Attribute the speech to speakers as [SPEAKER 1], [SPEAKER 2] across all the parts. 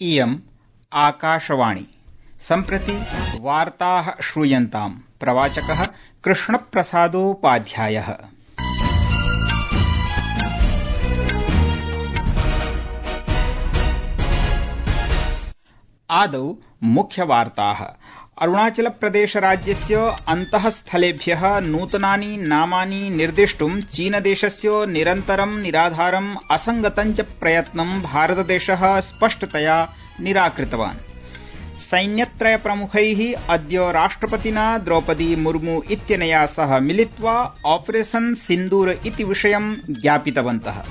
[SPEAKER 1] इयम् आकाशवाणी। सम्प्रति वार्ताः श्रूयन्ताम्। प्रवाचकः कृष्णप्रसादोपाध्यायः। आदौ मुख्यवार्ताः। अरुणाचलप्रदेशराज्यस्य अन्तःस्थलेभ्यः नूतनानि नामानि निर्दिष्टुं चीनदेशस्य निरन्तरं निराधारं असंगतं च प्रयत्नं भारतदेशः स्पष्टतया निराकृतवान्। सैन्यत्रयप्रमुखैः अद्य राष्ट्रपतिना द्रौपदी मुर्मू इत्यनया सह मिलित्वा ऑपरेशन सिन्दूर इति विषयं ज्ञापितवन्तः।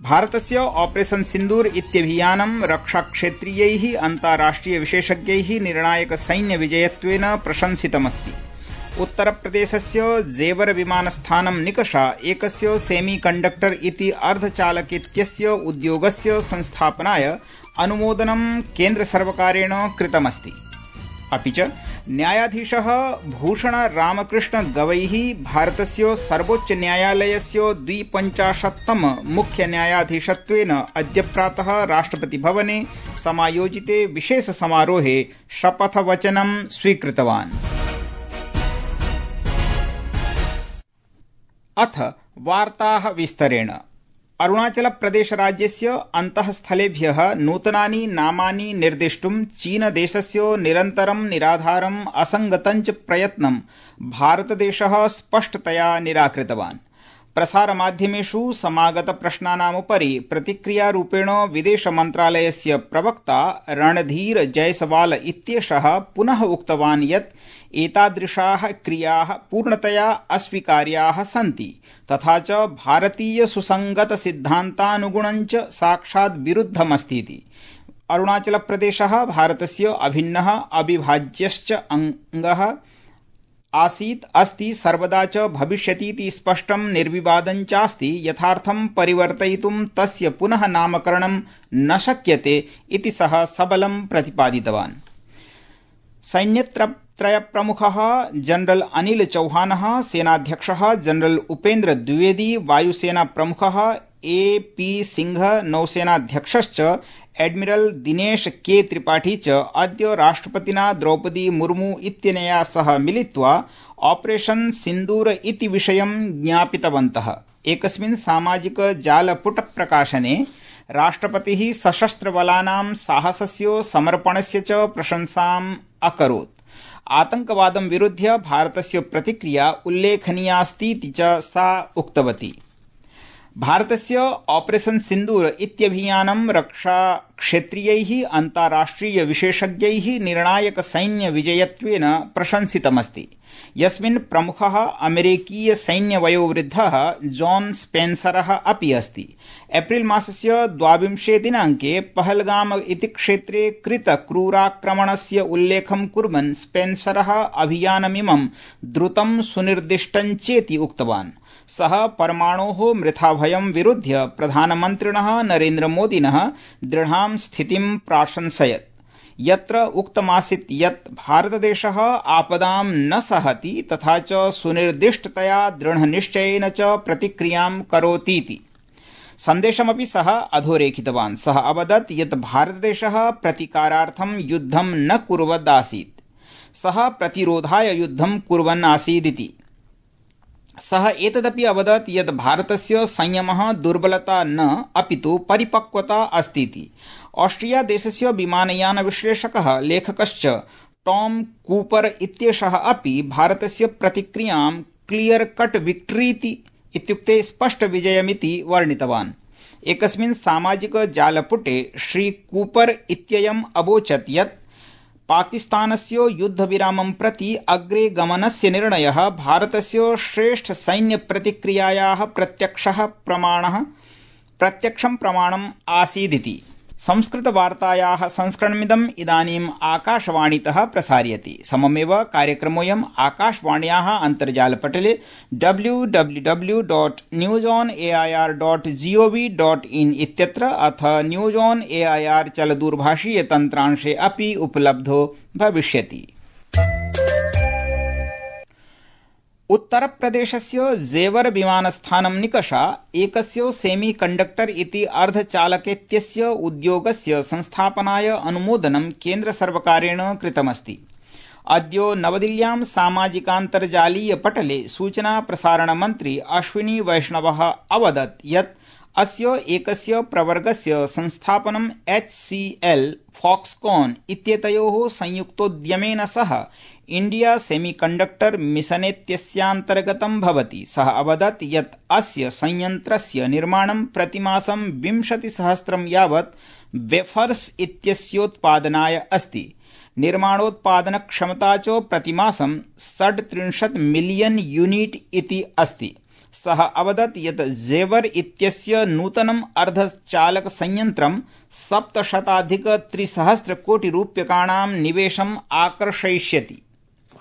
[SPEAKER 1] भारतस्य ऑपरेशन सिन्दूर इत्यभियानं रक्षाक्षेत्रीयैः अन्ताराष्ट्रिय विशेषज्ञैः निर्णायक सैन्य विजयत्वेन प्रशंसितमस्ति। उत्तरप्रदेशस्य जेवर विमानस्थानं निकषा एकस्य सेमीकण्डक्टर इति अर्धचालकेत्यस्य उद्योगस्य संस्थापनाय अनुमोदनं केन्द्रसर्वकारेण कृतमस्ति। अपि च न्यायाधीशः भूषण रामकृष्ण गवैः भारतस्य सर्वोच्चन्यायालयस्य 52तम मुख्यन्यायाधीशत्वेन अद्य प्रातः राष्ट्रपतिभवने समायोजिते विशेषसमारोहे शपथवचनं स्वीकृतवान्। अथ वार्ताः विस्तरेण। अरुणाचलप्रदेशराज्यस्य अन्तःस्थलेभ्यः नूतनानि नामानि निर्दिष्टुं चीनदेशस्य निरन्तरं निराधारं असंगतं च प्रयत्नं भारतदेशः स्पष्टतया निराकृतवान्। प्रसारमाध्यमेषु समागतप्रश्नानामुपरि प्रतिक्रियारूपेण विदेशमन्त्रालयस्य प्रवक्ता रणधीर जयसवाल इत्येषः पुनः उक्तवान् यत् एतादृशाः क्रियाः पूर्णतया अस्वीकार्याः सन्ति तथा च भारतीय सुसंगत सिद्धान्तानुगुणं च साक्षात् विरुद्धमस्तीति। अरुणाचलप्रदेशः भारतस्य अभिन्नः अविभाज्यश्च अङ्गः आसीत् अस्ति सर्वदा च भविष्यतीति स्पष्टं निर्विवादं चास्ति। यथार्थं परिवर्तयितुं तस्य पुनः नामकरणं न शक्यते इति सः सबलं प्रतिपादितवान्। सैन्यत्रयप्रमुखः जनरल अनिल चौहानः, सेनाध्यक्षः जनरल उपेन्द्र द्विवेदी, वायुसेनाप्रमुखः ए.पी. सिंह, नौसेनाध्यक्षश्च एडमिरल दिनेश के. त्रिपाठी च अद्य राष्ट्रपतिना द्रौपदी मुर्मू इत्यनया सह मिलित्वा ऑपरेशन सिन्दूर इति विषयं ज्ञापितवन्तः। एकस्मिन् सामाजिक जालपुट प्रकाशने राष्ट्रपतिः सशस्त्रबलानां साहसस्य समर्पणस्य च प्रशंसाम् अकरोत्। आतंकवादं विरुध्य भारतस्य प्रतिक्रिया उल्लेखनीयास्तीति च सा उक्तवती। भारतस्य ऑपरेशन सिन्दूर इत्यभियानं रक्षाक्षेत्रीयैः अन्ताराष्ट्रिय विशेषज्ञैः निर्णायक सैन्य विजयत्वेन प्रशंसितमस्ति, यस्मिन् प्रमुखः अमेरिकीय सैन्यवयोवृद्धः जॉन स्पेन्सरः अपि अस्ति। एप्रिल मासस्य 22 दिनाङ्के पहलगाम इति क्षेत्रे कृत क्रूराक्रमणस्य उल्लेखं कुर्वन् स्पेन्सरः अभियानमिमं द्रुतं सुनिर्दिष्टं चेति उक्तवान्। सः परमाणोः मृथाभयं विरुध्य प्रधानमन्त्रिणः नरेन्द्रमोदिनः दृढां स्थितिं प्राशंसयत्, यत्र उक्तमासीत् यत् भारतदेशः आपदां न सहति तथा च सुनिर्दिष्टतया दृढनिश्चयेन च प्रतिक्रियां करोतीति। सन्देशमपि सः अधोरेखितवान्। सः अवदत् यत् भारतदेशः प्रतीकारार्थं युद्धं न कुर्वदासीत्, सः प्रतिरोधाय युद्धं कुर्वन् आसीदिति। सः एतदपि अवदत् यत् भारतस्य संयमः दुर्बलता न अपितु परिपक्वता अस्तीति। ऑस्ट्रिया देशस्य विमानयान विश्लेषकः लेखकश्च टॉम कूपर इत्येषः अपि भारतस्य प्रतिक्रियां क्लियर कट विक्ट्रीति इत्युक्ते स्पष्ट विजयमिति वर्णितवान्। एकस्मिन् सामाजिक जालपुटे श्री कूपर इत्ययम् अवोचत् यत् पाकिस्तानस्य युद्धविरामं प्रति अग्रे गमनस्य निर्णयः भारतस्य श्रेष्ठ सैन्य प्रतिक्रियायाः प्रत्यक्षं प्रमाणम् आसीदिति। संस्कृतवार्तायाः संस्करणमिदम् इदानीम् आकाशवाणीतः प्रसार्यते। सममेव कार्यक्रमोऽयम् आकाशवाण्याः अन्तर्जालपटले www.newsonair.gov.in इत्यत्र अथ न्यूज ऑन एआईआर चलदूरभाषीय तन्त्रांशे अपि उपलब्धो भविष्यति। उत्तरप्रदेशस्य जेवर विमानस्थानं निकषा एकस्य सेमी कंडक्टर इति अर्धचालकेत्यस्य उद्योगस्य संस्थापनाय अनुमोदनं केन्द्रसर्वकारेण कृतमस्ति। अद्य नवदिल्ल्यां सामाजिकान्तर्जालीय पटले सूचना प्रसारण मन्त्री अश्विनी वैष्णवः अवदत् यत् अस्य एकस्य प्रवर्गस्य संस्थापनं HCL फॉक्सकॉन इत्येतयोः संयुक्तोद्यमेन सह इंडिया सेमीकंडक्टर मिशनेत्यस्यान्तर्गतं भवति। सः अवदत् यत् अस्य संयन्त्रस्य निर्माणं प्रतिमासं 20,000 यावत् वेफर्स इत्यस्योत्पादनाय अस्ति। निर्माणोत्पादनक्षमता च प्रतिमासं 37 मिलियन यूनिट इति अस्ति। सः अवदत् यत् जेवर इत्यस्य नूतनम् अर्धचालक संयन्त्रं 700,300 कोटि रूप्यकाणां निवेशम् आकर्षयिष्यति।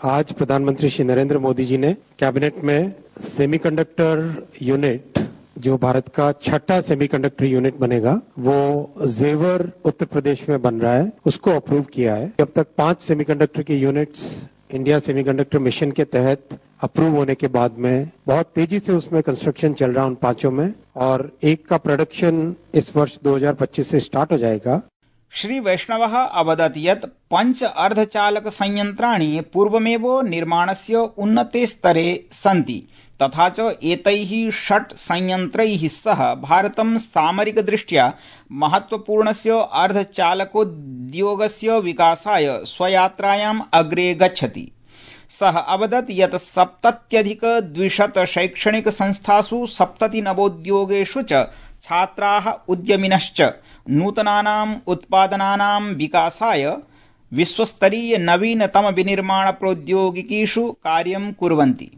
[SPEAKER 2] आज प्रधानमंत्री श्री नरेंद्र मोदी जी ने कैबिनेट में सेमीकंडक्टर यूनिट, जो भारत का 6ठा सेमीकंडक्टर यूनिट बनेगा, वो जेवर उत्तर प्रदेश में बन रहा है, उसको अप्रूव किया है। अब तक 5 सेमीकंडक्टर के यूनिट्स इंडिया सेमीकंडक्टर मिशन के तहत अप्रूव होने के बाद में बहुत तेजी से उसमें कंस्ट्रक्शन चल रहा है उन 5 में, और एक का प्रोडक्शन इस वर्ष 2025 से स्टार्ट हो जाएगा।
[SPEAKER 1] श्री वैष्णवः अवदत् यत् 5 अर्धचालक संयन्त्राणि पूर्वमेव निर्माणस्य उन्नते स्तरे सन्ति, तथा च एतैः 6 संयन्त्रैः सह भारतं सामरिकदृष्ट्या महत्वपूर्णस्य अर्धचालकोद्योगस्य विकासाय स्वयात्रायाम् अग्रे गच्छति। सः अवदत् यत् 70,200 शैक्षणिक संस्थासु 70 नवोद्योगेषु च छात्राः उद्यमिनश्च नूतनानाम् उत्पादनानां विकासाय विश्वस्तरीय नवीनतम विनिर्माण प्रौद्योगिकीषु कार्यं कुर्वन्ति।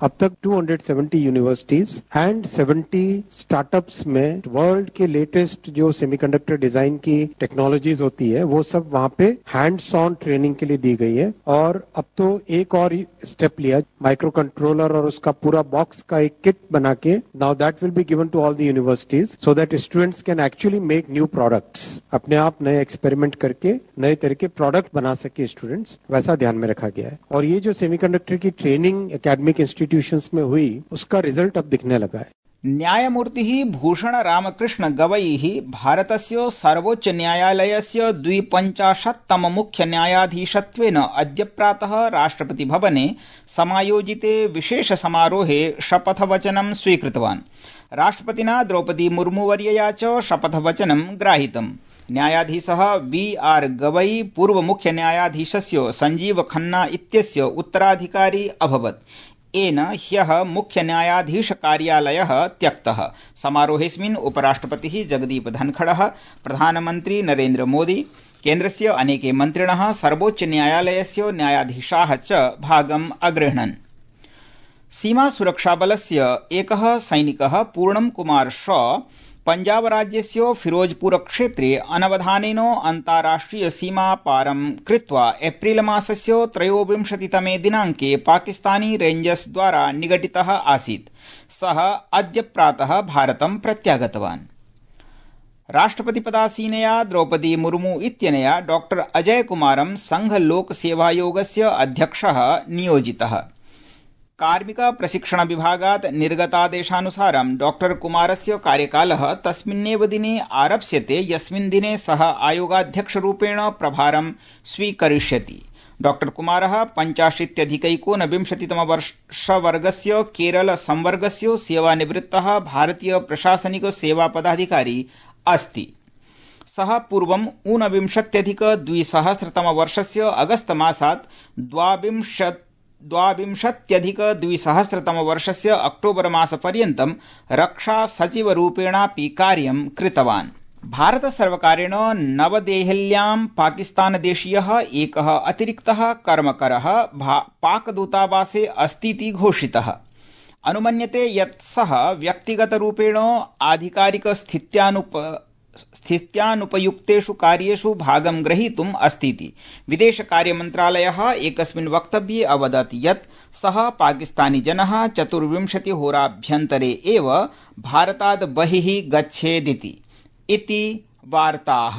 [SPEAKER 2] अब तक 270 यूनिवर्सिटीज एंड 70 स्टार्टअप्स में वर्ल्ड के लेटेस्ट जो सेमीकंडक्टर डिजाइन की टेक्नोलॉजीज होती है वो सब वहां पे हैंड्स ऑन ट्रेनिंग के लिए दी गई है। और अब तो एक और स्टेप लिया, माइक्रो कंट्रोलर और उसका पूरा बॉक्स का एक किट बना के now that will be given to all the universities so that students can actually make new products, अपने आप नए एक्सपेरिमेंट करके नए तरह के प्रोडक्ट बना सके स्टूडेंट्स, वैसा ध्यान में रखा गया है। और ये जो सेमीकंडक्टर की ट्रेनिंग एकेडमिक इंस्टीट्यूशंस में हुई उसका रिजल्ट अब दिखने लगा है।
[SPEAKER 1] न्यायमूर्तिः भूषण रामकृष्ण गवईः भारतस्य सर्वोच्च न्यायालयस्य 52तम मुख्य न्यायाधीशत्वेन अद्य प्रातः राष्ट्रपति भवने समायोजिते विशेष समारोहे शपथवचनं स्वीकृतवान्। राष्ट्रपतिना द्रौपदी मुर्मुवर्यया च शपथवचनं ग्राहितम्। न्यायाधीशः VR गवई पूर्व मुख्य न्यायाधीशस्य संजीव खन्ना इत्यस्य उत्तराधिकारी अभवत्। येन ह्यः मुख्य न्यायाधीश कार्यालयः त्यक्तः। समारोहेऽस्मिन् उपराष्ट्रपतिः जगदीप धनखडः, प्रधानमन्त्री नरेन्द्र मोदी, केन्द्रस्य अनेके मन्त्रिणः, सर्वोच्च न्यायालयस्य न्यायाधीशाः च भागम् अगृह्णन्। सीमा सुरक्षाबलस्य एकः सैनिकः पूर्णम् कुमार शॉ पंजाब राज्यस्य फिरोजपुर क्षेत्रे अनवधानेन अन्ताराष्ट्रिय सीमा पारं कृत्वा एप्रिल मासस्य 23तमे दिनाङ्के पाकिस्तानी रेंजर्स द्वारा निगडितः आसीत्। सः अद्य प्रातः भारतं प्रत्यागतवान्। राष्ट्रपतिपदासीनया द्रौपदी मुर्मू इत्यनया डॉ अजय कुमारं संघ लोक सेवायोगस्य अध्यक्षः नियोजितः। कार्मिक प्रशिक्षण विभागात् निर्गतादेशानुसारं डॉ कुमारस्य कार्यकालः तस्मिन्नेव दिने आरप्स्यते यस्मिन् दिने सः आयोगाध्यक्षरूपेण प्रभारं स्वीकरिष्यति। डॉ कुमारः 85-19तम वर्षवर्गस्य केरल संवर्गस्य सेवानिवृत्तः भारतीय प्रशासनिक सेवा पदाधिकारी अस्ति। सः पूर्वं 19-2000तम वर्षस्य अगस्त मासात् 22-2000तम वर्षस्य अक्टोबर मासपर्यन्तं रक्षा सचिवरूपेणापि कार्यं कृतवान्। भारतसर्वकारेण नवदेहल्यां पाकिस्तानदेशीयः एकः अतिरिक्तः कर्मकरः पाकदूतावासे अस्तीति घोषितः। अनुमन्यते यत् सः व्यक्तिगतरूपेण आधिकारिक स्थित्यानुपयुक्तेषु कार्येषु भागं ग्रहीतुम् अस्तीति। विदेशकार्यमन्त्रालयः एकस्मिन् वक्तव्ये अवदत् यत् सः पाकिस्तानी जनः 24 होराभ्यन्तरे एव भारतात् बहिः गच्छेदिति। इति वार्ताः।